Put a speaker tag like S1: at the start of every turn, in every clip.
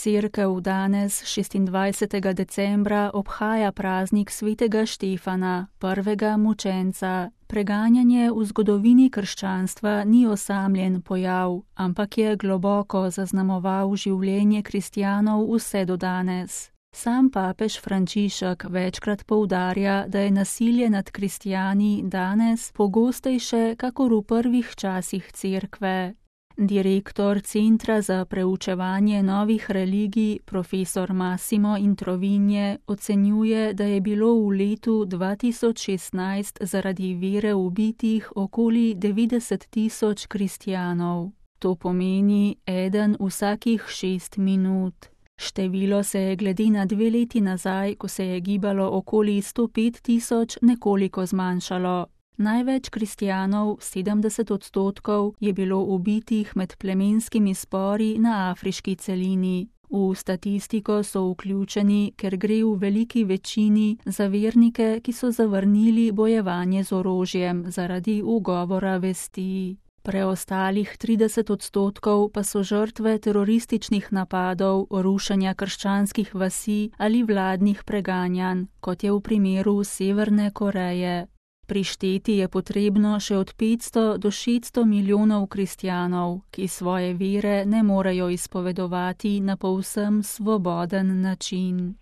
S1: Cerkev danes, 26. decembra, obhaja praznik svetega Štefana, prvega mučenca. Preganjanje v zgodovini krščanstva ni osamljen pojav, ampak je globoko zaznamoval življenje kristjanov vse do danes. Sam papež Frančišek večkrat poudarja, da je nasilje nad kristjani danes pogostejše kakor v prvih časih Cerkve. Direktor Centra za preučevanje novih religij, profesor Massimo Introvigne, ocenjuje, da je bilo v letu 2016 zaradi vere ubitih okoli 90.000 kristjanov. To pomeni eden vsakih 6 minut. Število se je glede na 2 leti nazaj, ko se je gibalo okoli 105.000, nekoliko zmanjšalo. Največ kristjanov, 70%, je bilo ubitih med plemenskimi spori na afriški celini. V statistiko so vključeni, ker gre v veliki večini za vernike, ki so zavrnili bojevanje z orožjem zaradi ugovora vesti. Preostalih 30% pa so žrtve terorističnih napadov, rušenja krščanskih vasi ali vladnih preganjanj, kot je v primeru Severne Koreje. Prišteti je potrebno še od 500 do 600 milijonov kristjanov, ki svoje vere ne morejo izpovedovati na povsem svoboden način.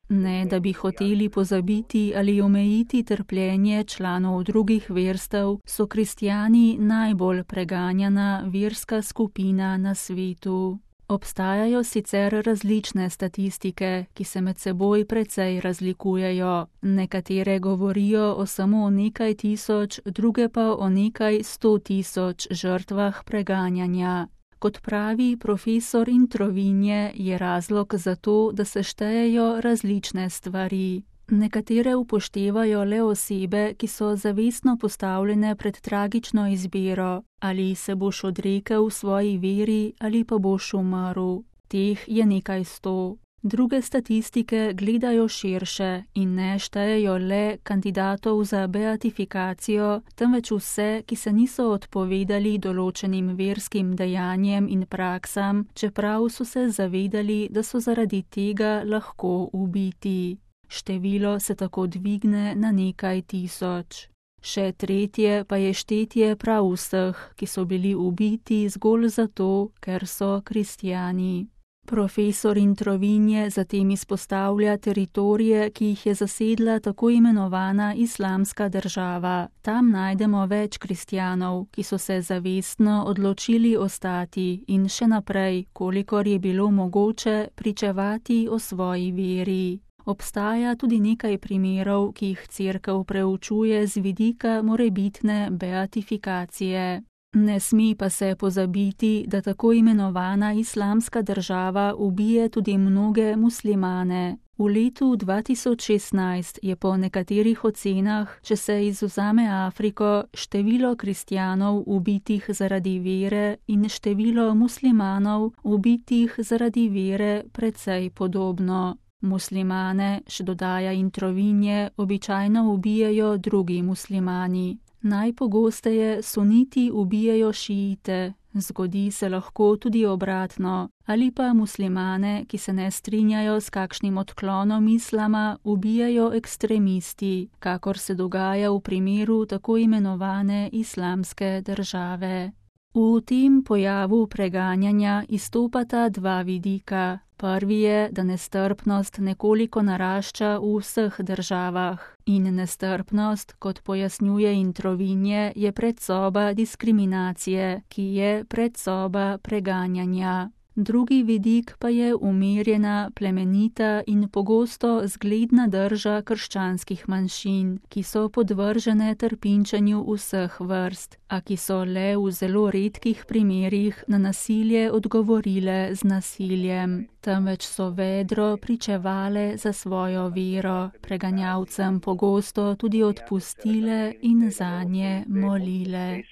S1: Ne, da bi hoteli pozabiti ali omejiti trpljenje članov drugih verstev, so kristjani najbolj preganjana verska skupina na svetu. Obstajajo sicer različne statistike, ki se med seboj precej razlikujejo. Nekatere govorijo o samo nekaj tisoč, druge pa o nekaj 100.000 žrtvah preganjanja. Kot pravi profesor Introvigne, je razlog za to, da se štejejo različne stvari. Nekatere upoštevajo le osebe, ki so zavestno postavljene pred tragično izbiro, ali se boš odrekel svoji veri ali pa boš umrl. Teh je nekaj 100. Druge statistike gledajo širše in ne štejejo le kandidatov za beatifikacijo, temveč vse, ki se niso odpovedali določenim verskim dejanjem in praksam, čeprav so se zavedali, da so zaradi tega lahko ubiti. Število se tako dvigne na nekaj tisoč. Še tretje pa je štetje prav vseh, ki so bili ubiti zgolj zato, ker so kristjani. Profesor Introvigne zatem izpostavlja teritorije, ki jih je zasedla tako imenovana Islamska država. Tam najdemo več kristjanov, ki so se zavestno odločili ostati in še naprej, kolikor je bilo mogoče, pričevati o svoji veri. Obstaja tudi nekaj primerov, ki jih Cerkev preučuje z vidika morebitne beatifikacije. Ne sme pa se pozabiti, da tako imenovana Islamska država ubije tudi mnoge muslimane. V letu 2016 je po nekaterih ocenah, če se izvzame Afriko, število kristjanov ubitih zaradi vere in število muslimanov ubitih zaradi vere precej podobno. Muslimane, še dodaja Introvigne, običajno ubijajo drugi muslimani. Najpogosteje suniti ubijajo šiite, zgodi se lahko tudi obratno, ali pa muslimane, ki se ne strinjajo s kakšnim odklonom islama, ubijajo ekstremisti, kakor se dogaja v primeru tako imenovane Islamske države. V tem pojavu preganjanja izstopata 2 vidika. Prvi je, da nestrpnost nekoliko narašča v vseh državah in nestrpnost, kot pojasnjuje Introvigne, je predsoba diskriminacije, ki je predsoba preganjanja. Drugi vidik pa je umirjena, plemenita in pogosto zgledna drža krščanskih manjšin, ki so podvržene trpinčenju vseh vrst, a ki so le v zelo redkih primerih na nasilje odgovorile z nasiljem, temveč so vedro pričevale za svojo vero, preganjavcem pogosto tudi odpustile in zanje molile.